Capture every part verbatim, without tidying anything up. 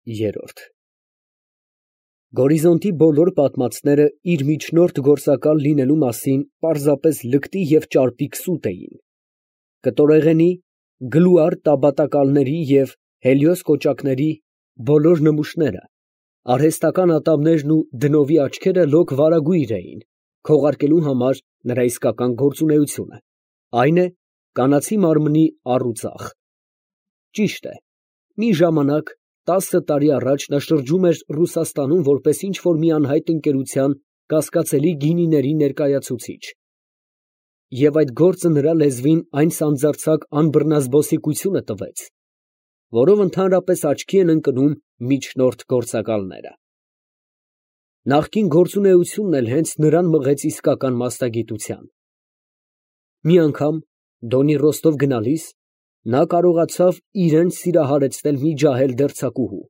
Երրորդ Գորիզոնտի բոլոր պատմածները իր միջնորդ գործակալ լինելու մասին պարզապես լկտի և ճարպիկ սուտ էին. կտորեղենի, գլուար տաբատակալների և Հելիոս կոճակների բոլոր նմուշները, արհեստական ատամներն ու դնովի աչքերը լոկ վարագույր էին, քողարկելու համար նրա իսկական գործունեությունը, այն է, կանացի մարմնի առ ու ծախ։ Ճիշտ է, մի ժամանակ, տասը տարի առաջ նա շրջում էր Ռուսաստանում որպես ինչ֊որ մի անհայտ ընկերության կասկածելի գինիների ներկայացուցիչ, և այդ գործը նրա լեզվին այն սանձարձակ անբռնազբոսիկությունը տվեց, որով ընդհանրապես աչքի են ընկնում միջնորդ գործակալները։ Նախկին գործունեությունն էլ հենց նրան մղեց իսկական մասնագիտության։ Մի անգամ, Դոնի Ռոստով գնալիս, նա կարողացավ իրան սիրահարեցնել մի ջահել դերձակուհու։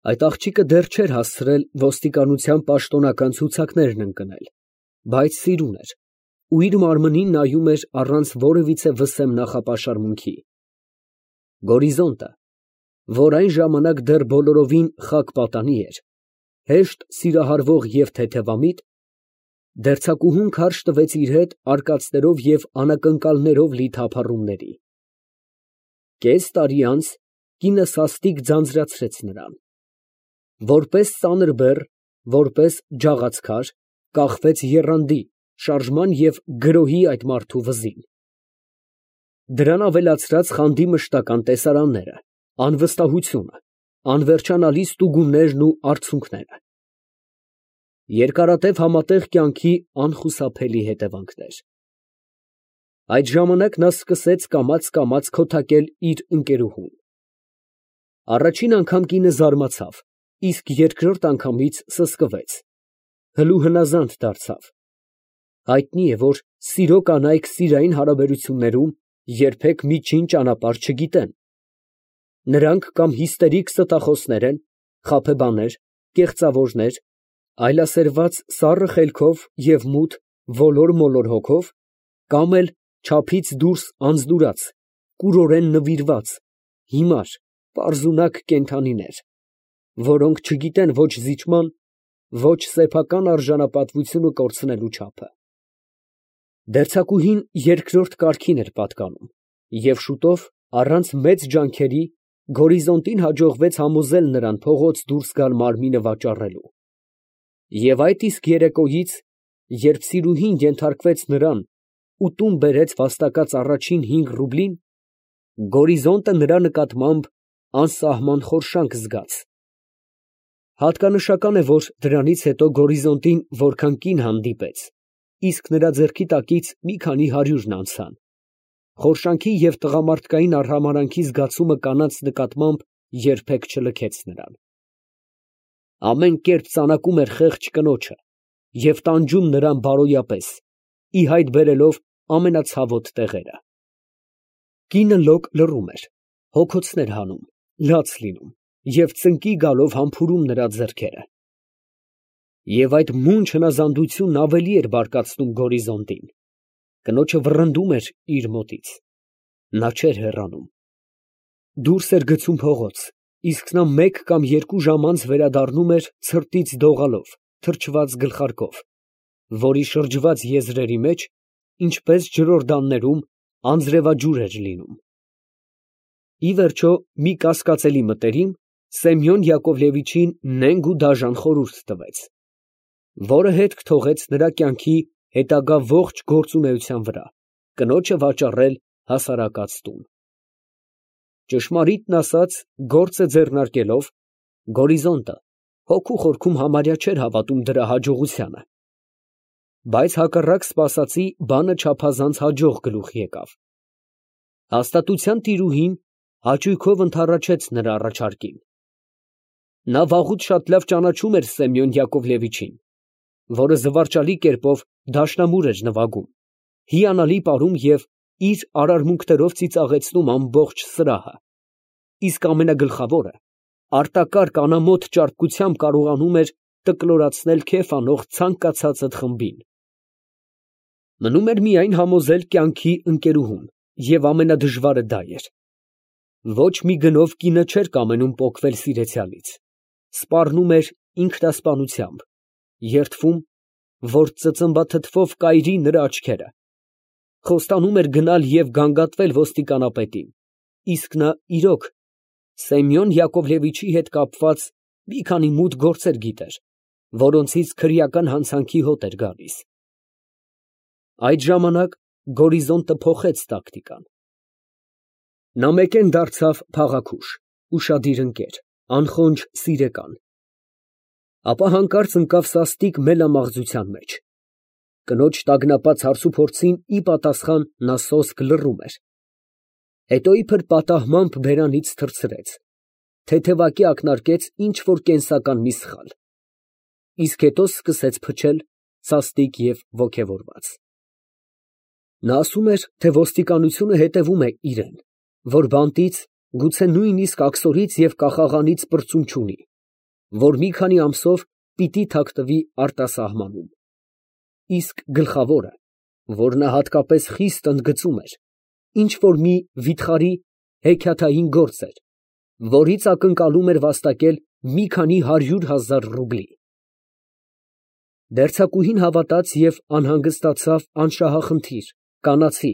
Այդ աղջիկը դեռ չէր հասցրել ոստիկանության պաշտոնական ցուցակներն ընկնել, բայց սիրուն էր ու իր մարմնին նայում էր առանց որևիցե վսեմ նախապաշարմունքի։ Գորիզոնտը, որ այն ժամանակ դեռ բոլորովին խաք պատանի էր, հեշտ սիրահարվող և թեթևամիտ, դերձակուհուն քարշ տվեց իր հետ արկածներով և անակնկալներով լի թափառումների։ Կես տարի անց կինը սաստիկ ձանձրացրեց նրան։ Որպես ծանր բեռ, որպես ջաղացքար, կախվեց եռանդի, շարժման և գրոհի այդ մարդու վզին։ Դրան ավելացրած խանդի մշտական տեսարանները, անվստահությունը, անվերջանալի ստուգումներն ու արցունքները։ Երկարատև համատեղ կյանքի անխուսափելի հետևանքներ։ Այդ ժամանակ նա սկսեց կամաց֊կամաց քոթակել իր ընկերուհուն։ Առաջին անգամ կինը զարմացավ, իսկ երկրորդ անգամից սսկվեց, հլու հնազանդ դարձավ։ Հայտնի է, որ սիրո կանայք սիրային հարաբերություններում երբեք միջին ճանապարհ չգիտեն։ Նրանք կամ հիստերիկ ստախոսներ են, խաբեբաներ, կեղծավորներ, այլասերված սառը խելքով և մութ, ոլոր֊մոլոր հոգով, կամ էլ չափից դուրս անձնուրաց, կուրորեն նվիրված, հիմար, պարզունակ կենդանիներ, որոնք չգիտեն ոչ զիջման, ոչ սեփական արժանապատվությունը կորցնելու չափը։ Դերձակուհին երկրորդ կարգին էր պատկանում, և շուտով, առանց մեծ ջանքերի, Գորիզոնտին հաջողվեց համոզել նրան փողոց դուրս գալ մարմինը վաճառելու։ Եվ այդ իսկ երեկոյից, երբ սիրուհին ենթարկվեց նրան ու տուն բերեց վաստակած առաջին հինգ ռուբլին, Գորիզոնտը նրա նկատմամբ անսահման խորշանք զգաց։ Հատկանշական է, որ դրանից հետո Գորիզոնտին որքան կին հանդիպեց, իսկ նրա ձեռքի տակից մի քանի հարյուրն անցան, խորշանքի և տղամարդկային արհամարհանքի զգացումը կանանց նկատմամբ երբեք չլքեց նրան։ Ամեն կերպ ծանակում էր խեղճ կնոջը և տանջում նրան բարոյապես, ի հայտ բերելով ամենացավոտ տեղերը։ Կինը լոկ լռում էր, հոգոցներ հանում, լաց լինում և ծնկի գալով համբուրում նրա ձեռքերը։ Եվ այդ մունջ հնազանդությունն ավելի էր բարկացնում Գորիզոնտին։ Կնոջը վռնդում էր իր մոտից։ Նա չէր հեռանում։ Դուրս էր գցում փողոց, իսկ նա մեկ կամ երկու ժամ անց վերադառնում էր ցրտից դողալով, թրջված գլխարկով, որի շրջված եզրերի մեջ, ինչպես ջրորդաններում, անձրևաջուր էր լինում։ Ի վերջո, մի կասկածելի մտերիմ Սեմյոն Յակովլևիչին նենգ ու դաժան խորհուրդ տվեց, որը հետք թողեց նրա կյանքի հետագա ողջ գործունեության վրա, կնոջը վաճառել հասարակած տուն։ Ճշմարիտն ասած, գործը ձեռնարկելով, Գորիզոնտը հոգու խորքում համարյա չէր հավատում դրա հաջողությանը։ Բայց հակառակ սպասածի, բանը չափազանց հաջող գլուխ եկավ։ Հաստատության տիրուհին հաճույքով ընդառաջեց նրա առաջարկին։ Նա վաղուց շատ լավ ճանաչում էր Սեմյոն Յակովլևիչին, որը զվարճալի կերպով դաշնամուր էր նվագում, հիանալի պարում և իր արարմունքներով ծիծաղեցնում ամբողջ սրահը, իսկ ամենագլխավորը, արտակարգ անամոթ ճարպկությամբ կարողանում էր տկլորացնել քեֆ անող ցանկացածդ խմբին։ Մնում էր միայն համոզել կյանքի ընկերուհուն, և ամենադժվարը դա էր։ Ոչ մի գնով կինը չէր կամենում պոկվել սիրեցյալից, սպառնում էր ինքնասպանությամբ, երդվում, որ ծծմբաթթվով կայրի նրա աչքերը, խոստանում էր գնալ և գանգատվել ոստիկանապետին, իսկ նա իրոք Սեմյոն Յակովլևիչի հետ կապված մի քանի մութ գործեր գիտեր, որոնցից քրեական հանցանքի հոտ էր գալիս։ Այդ ժամանակ Գորիզոնտը փոխեց տակտիկան. նա մեկեն դարձավ փաղաքուշ, ուշադիր ընկեր, անխոնջ սիրեկան, ապա հանկարծ ընկավ սաստիկ մելամաղձության մեջ, կնոջ տագնապած հարցուփորձին ի պատասխան նա սոսկ լռում էր, հետո իբր պատահմամբ բերանից թռցրեց, թեթևակի ակնարկեց ինչ֊որ կենսական մի սխալ, իսկ հետո սկսեց փչել սաստիկ և ոգևորված։ Նա ասում էր, թե ոստիկանությունը հետևում է իրան, որ բանտից, գուցե նույնիսկ աքսորից և կախաղանից պրծում չունի, որ մի քանի ամսով պիտի թաքնվի արտասահմանում, իսկ գլխավորը, որ նա հատկապես խիստ ընդգծում էր, ինչ֊որ մի վիթխարի հեքիաթային գործ էր, որից ակնկալում էր վաստակել մի քանի հարյուր հազար ռուբլի։ Դերձակուհին հավատաց և անհանգստացավ անշահախնդիր, կանացի,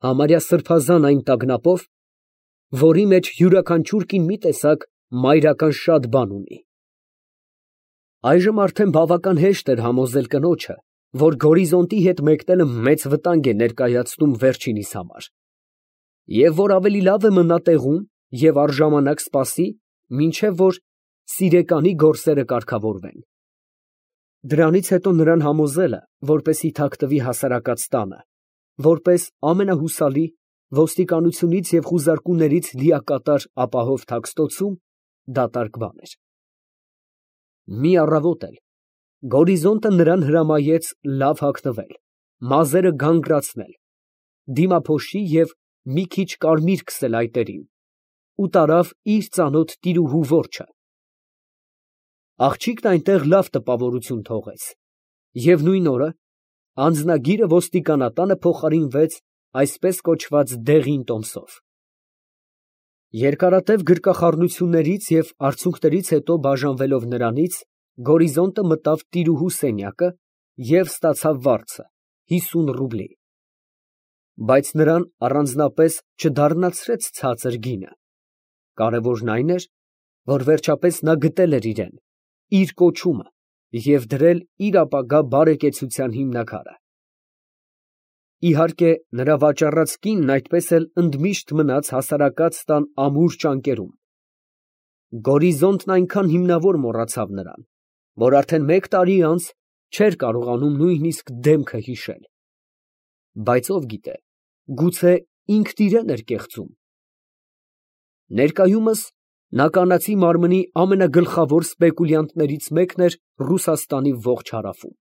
համարյա սրբազան այն տագնապով, որի մեջ յուրաքանչյուր կին մի տեսակ մայրական շատ բան ունի։ Այժմ արդեն բավական հեշտ էր համոզել կնոջը, որ Գորիզոնտի հետ մեկնելը մեծ վտանգ է ներկայացնում վերջինիս համար, և որ ավելի լավ է մնա տեղում և առժամանակ սպասի, մինչև որ սիրեկանի գործերը կարգավորվեն։ Դրանից հետո նրան համոզելը, որպեսզի թաքնվի հասարակած տանը, որպես ամենահուսալի, ոստիկանությունից և խուզարկուներից լիակատար ապահով թաքստոցում, դատարկ բան էր։ Մի առավոտ էլ Գորիզոնտը նրան հրամայեց լավ հագնվել, մազերը գանգրացնել, դիմափոշի և մի քիչ կարմիր քսել այտերին ու տարավ իր ծանոթ տիրուհու որջը։ Աղջիկն այնտեղ լավ տպավորություն թողեց, և նույն օրը անձնագիրը ոստիկանատանը փոխարինվեց այսպես կոչված դեղին տոմսով։ Երկարատև գրկախառնություններից և արցունքներից հետո բաժանվելով նրանից, Գորիզոնտը մտավ տիրուհու սենյակը և ստացավ վարձը՝ հիսուն ռուբլի, բայց նրան առանձնապես չդառնացրեց ցածր գինը, կարևորն այն էր, որ վերջապես նա գտել էր իրան, իր կոչումը և դրել իր ապագա բարեկեցության հիմնաքարը։ Իհարկե, նրա վաճառած կինն այդպես էլ ընդմիշտ մնաց հասարակած տան ամուր ճանկերում։ Գորիզոնտն այնքան հիմնավոր մոռացավ նրան, որ արդեն մեկ տարի անց չէր կարողանում նույնիսկ դեմքը հիշել, բայց ով գիտե, գուցե ինքն իրան էր կեղծում։ Ներկայումս նա կանացի մարմնի ամենագլխավոր սպեկուլյանտներից մեկն էր Ռուսաստանի ողջ հարավում։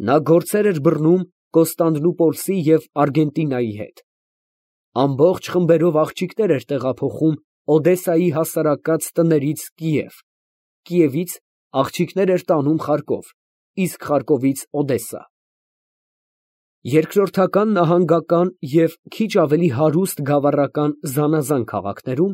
Նա գործեր էր բռնում Կոստանդնուպոլսի և Արգենտինայի հետ, ամբողջ խմբերով աղջիկներ էր տեղափոխում Օդեսայի հասարակած տներից Կիև, Կիևից աղջիկներ էր տանում Խարկով, իսկ Խարկովից Օդեսա։ Երկրորդական, նահանգական և քիչ ավելի հարուստ գավառական զանազան քաղաքներում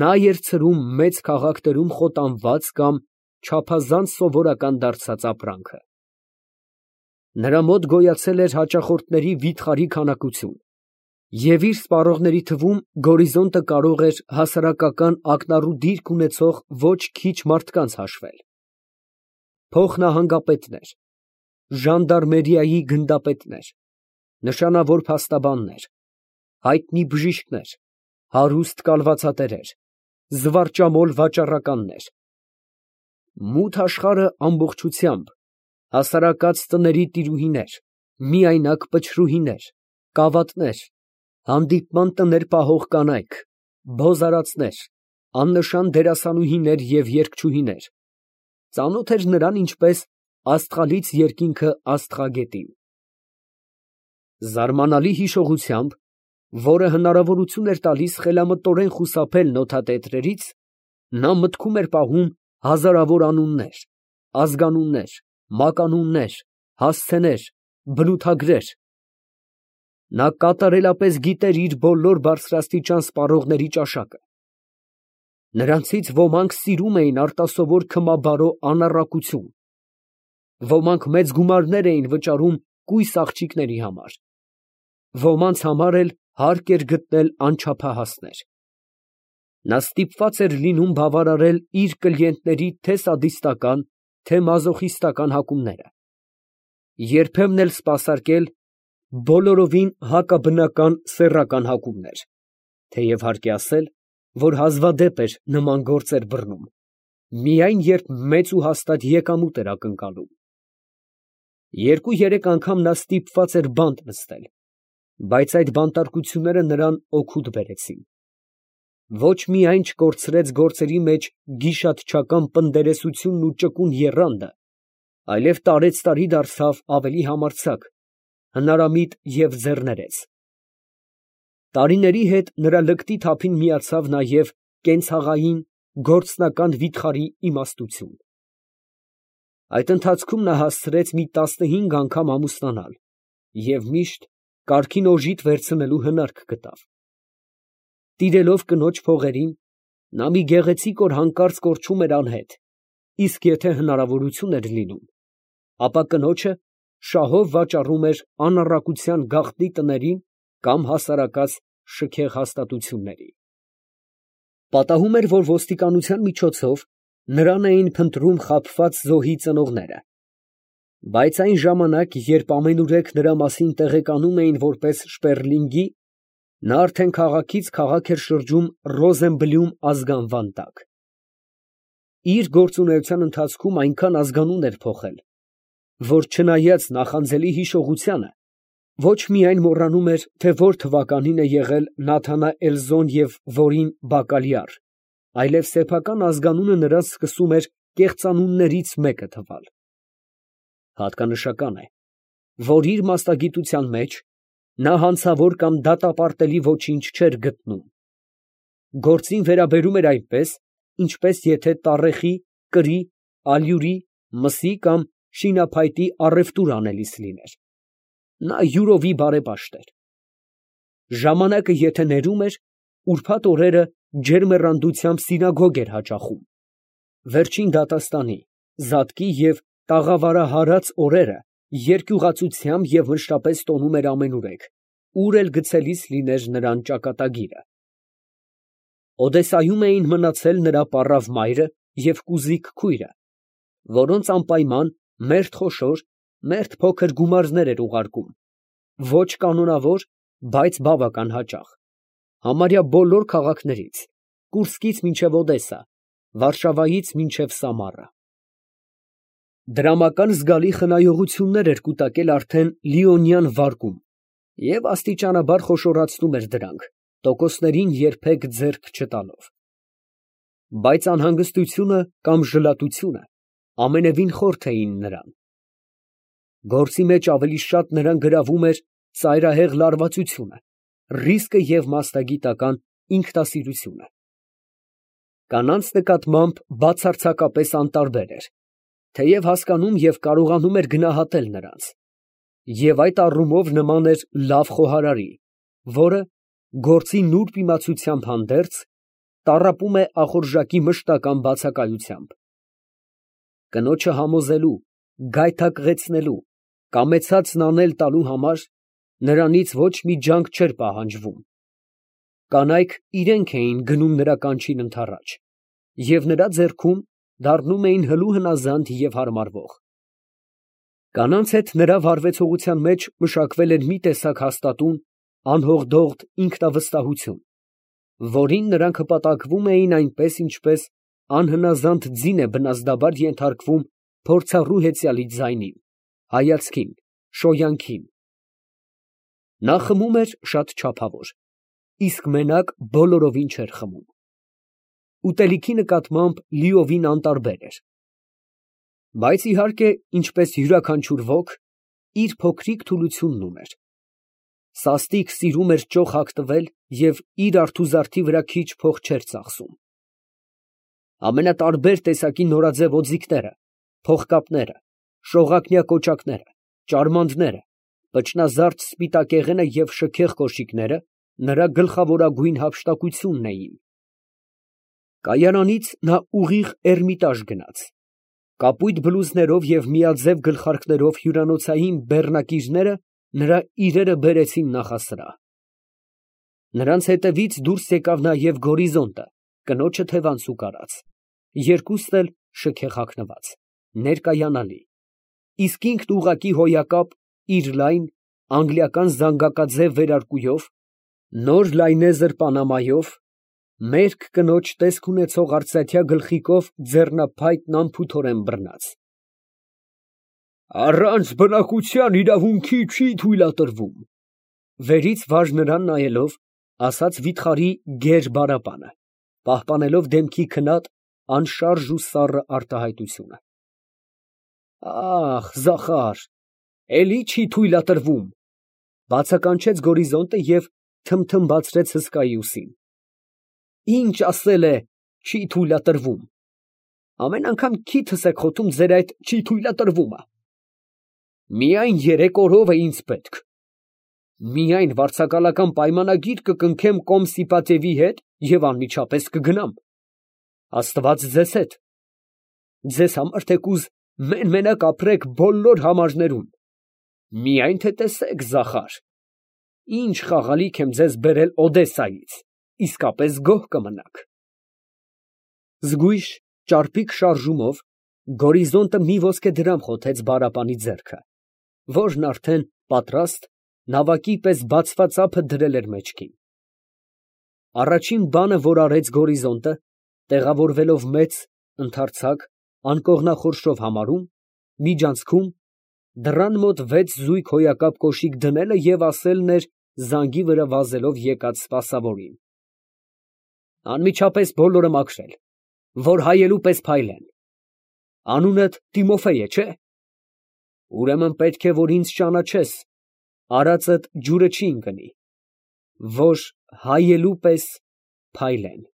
նա էր ցրում մեծ քաղաքներում խոտանված կամ չափազանց սովորական դարձած ապրանքը։ Նրա մոտ գոյացել էր հաճախորդների վիթխարի քանակություն, և իր սպառողների թվում Գորիզոնտը կարող էր հասարակական ակնառու դիրք ունեցող ոչ քիչ մարդկանց հաշվել. փոխնահանգապետներ, ժանդարմերիայի գնդապետներ, նշանավոր փաստաբաններ, հայտնի բժիշկներ, հարուստ կալվածատերեր, զվարճամոլ վաճառականներ, մութ աշխարհը ամբողջությամբ, հասարակած տների տիրուհիներ, միայնակ պչրուհիներ, կավատներ, հանդիպման տներ պահող կանայք, բոզարածներ, աննշան դերասանուհիներ և երգչուհիներ, ծանոթ էր նրան ինչպես աստղալից երկինքը աստղագետին։ Զարմանալի հիշողությամբ, որը հնարավորություն էր տալիս խելամտորեն խուսափել նոթատետրերից, նա մտքում էր պահում հազարավոր անուններ, ազգանուններ, մականուններ, հասցեներ, բնութագրեր, Նա կատարելապես գիտեր իր բոլոր բարձրաստիճան սպառողների ճաշակը. նրանցից ոմանք սիրում էին արտասովոր քմաբարո անառակություն, ոմանք մեծ գումարներ էին վճարում կույս աղջիկների համար, ոմանց համար էլ հարկ էր գտնել անչափահասներ. նա ստիպված էր լինում բավարարել իր կլիենտների թե սադիստական, թե մազոխիստական հակումները, երբեմն էլ սպասարկել բոլորովին հակաբնական սեռական հակումներ, թեև հարկ է ասել, որ հազվադեպ էր նման գործեր բռնում, միայն երբ մեծ ու հաստատ եկամուտ էր ակնկալում։ Երկու֊երեք անգամ նա ստիպված էր բանտ նստել, բայց այդ բանտարկությունները նրան օգուտ բերեցին։ Ոչ միայն չկորցրեց գործերի մեջ գիշատչական պնդերեսությունն ու ճկուն եռանդը, այլև տարեցտարի դարձավ ավելի համարձակ, հնարամիտ և ձեռներեց։ Տարիների հետ նրա լկտի թափին միացավ նաև կենցաղային, գործնական վիթխարի իմաստություն։ Այդ ընթացքում նա հասցրեց մի տասնհինգ անգամ ամուսնանալ և միշտ կարգին օժիտ վերցնելու հնարք գտավ։ Տիրելով կնոջ փողերին, նա մի գեղեցիկ օր հանկարծ կորչում էր անհետ, իսկ եթե հնարավորություն էր լինում, ապա կնոջը շահով վաճառում էր անառակության գաղտնի տներին կամ հասարակած շքեղ հաստատությունների։ Պատահում էր, որ ոստիկանության միջոցով նրան էին փնտրում խաբված զոհի ծնողները, բայց այն ժամանակ, երբ ամենուրեք նրա մասին տեղեկանում էին որպես Շպերլինգի, նա արդեն քաղաքից քաղաք էր շրջում Ռոզենբլյում ազգանվան տակ։ Իր գործունեության ընթացքում այնքան ազգանուն էր փոխել, որ չնայած նախանձելի հիշողությանը, ոչ միայն մոռանում էր, թե որ թվականին է եղել Նաթանաէլզոն և որին Բակալյար, այլև սեփական ազգանունը նրան սկսում էր կեղծանուններից մեկը թվալ։ Հատկանշական է, որ իր մասնագիտության մեջ նա հանցավոր կամ դատապարտելի ոչինչ չէր գտնում։ Գործին վերաբերում էր այնպես, ինչպես եթե տառեխի, կրի, ալյուրի, մսի կամ շինափայտի առևտուր անելիս լիներ։ Նա յուրովի բարեպաշտ էր։ Ժամանակը եթե ներում էր, ուրբաթ օրերը ջերմեռանդությամբ սինագոգ էր հաճախում։ Վերջին դատաստանի, զատկի և տաղավարահարած օրերը երկյուղացությամբ և մշտապես տոնում էր ամենուրեք, ուր էլ գցելիս լիներ նրան ճակատագիրը։ Օդեսայում էին մնացել նրա պառավ մայրը և կուզիկ քույրը, որոնց անպայման մերթ խոշոր, մերթ փոքր գումարներ էր ուղարկում, ոչ կանոնավոր, բայց բավական հաճախ, համարյա բոլոր քաղաքներից, Կուրսկից մինչև Օդեսա, Վարշավայից մինչև Սամարա։ Դրամական զգալի խնայողություններ էր կուտակել արդեն Լիոնյան վարկում և աստիճանաբար խոշորացնում էր դրանք, տոկոսներին երբեք ձեռք չտալով։ Բայց անհանգստությունը կամ ժլատությունը ամենևին խորթ էին նրան։ Գործի մեջ ավելի շատ նրան գրավում էր ծայրահեղ լարվածությունը, ռիսկը և մասնագիտական ինքնասիրությունը։ Կանանց նկատմամբ բացարձակապես անտարբեր էր, թեև հասկանում և կարողանում էր գնահատել նրանց, և այդ առումով նման էր լավ խոհարարի, որը, գործի նուրբ իմացությամբ հանդերձ, տառապում է ախորժակի մշտական բացակայությամբ։ Կնոջը համոզելու, գայթակղեցնելու, կամեցածն անել տալու համար նրանից ոչ մի ջանք չէր պահանջվում։ Կանայք իրենք էին գնում նրա կանչին ընդառաջ, և նրա ձեռքում դառնում էին հլու հնազանդ և հարմարվող։ Կանանց հետ նրա վարվեցողության մեջ մշակվել էր մի տեսակ հաստատուն, անհողդողդ ինքնավստահություն, որին նրանք հպատակվում էին այնպես, ինչպես անհնազանդ ձին է բնազդաբար ենթարկվում փորձառու հեծյալի ձայնին, հայացքին, շոյանքին։ Նա խմում էր շատ չափավոր, իսկ մենակ բոլորովին չէր խմում։ Ուտելիքի նկատմամբ լիովին անտարբեր էր։ Բայց իհարկե, ինչպես յուրաքանչյուր ոք, իր փոքրիկ թուլությունն ուներ։ Սաստիկ սիրում էր ճոխ հագտվել և իր արթուզարդի վրա քիչ փող չէր ծախսում։ Ամենատարբեր տեսակի նորաձև օձիքները, փողկապները, շողակնյա կոճակները, ճարմանդները, Պճնազարդ սպիտակեղենը և շքեղ կոշիկները նրա գլխավորագույն հափշտակությունն էին։ Կայարանից նա ուղիղ Էրմիտաժ գնաց։ Կապույտ բլուզներով և միաձև գլխարկներով հյուրանոցային բեռնակիրները նրա իրերը բերեցին նախասրահ։ Նրանց հետևից դուրս եկավ նաև Գորիզոնտը, կնոջը թևանցուկ արած, երկուսն էլ շքեղ հագնված, ներկայանալի, իսկ ինքն ուղղակի հոյակապ իր լայն, անգլիական զանգակաձև վերարկուով, նոր լայնեզր պանամայով, մերկ կնոջ տեսք ունեցող արծաթյա գլխիկով ձեռնափայտն անփութորեն բռնած։ «Առանց բնակության իրավունքի չի թույլատրվում», ֊ վերից վար նրան նայելով, ասաց վիթխարի գեր բարապանը, պահպանելով դեմքի քնած, անշարժ ու սառը արտահայտությունը։ «Ա՜խ, Զախար, էլի չի թույլատրվում», ֊ բացականչեց Գորիզոնտը և թմթմբացրեց հսկայի ուսին։ «Ինչ ասել է, չի թույլատրվում. ամեն անգամ քիթս եք խոթում ձեր այդ չի թույլատրվումը։ Միայն երեք օրով է ինձ պետք. միայն վարձակալական պայմանագիր կկնքեմ Կոմսիպատևի հետ և անմիջապես կգնամ։ Աստված ձեզ հետ. ձեզ համար թեկուզ մեն֊մենակ ապրեք բոլոր համարներում, միայն թե տեսեք, Զախար, ինչ խաղալիք եմ ձեզ բերել Օդեսայից, իսկապես գոհ կմնաք»։ Զգույշ ճարպիկ շարժումով Գորիզոնտը մի ոսկեդրամ խոթեց բարապանի ձեռքը, որն արդեն պատրաստ, նավակի պես բացված ափը դրել էր մեջքին։ Առաջին բանը, որ արեց Գորիզոնտը, տեղավորվելով մեծ, ընդարձակ, անկողնախորշով համարում, միջանցքում, դռան մոտ վեց զույգ հոյակապ կոշիկ դնելը և ասելն էր զանգի վրա վազելով եկած սպասավորին. «Անմիջապես բոլորը մաքրել, որ հայելու պես փայլեն։ Անունդ Տիմոֆեյ է, չէ՞։ Ուրեմն պետք է, որ ինձ ճանաչես, արածդ ջուրը չի ընկնի, որ հայելու պես փայլեն»։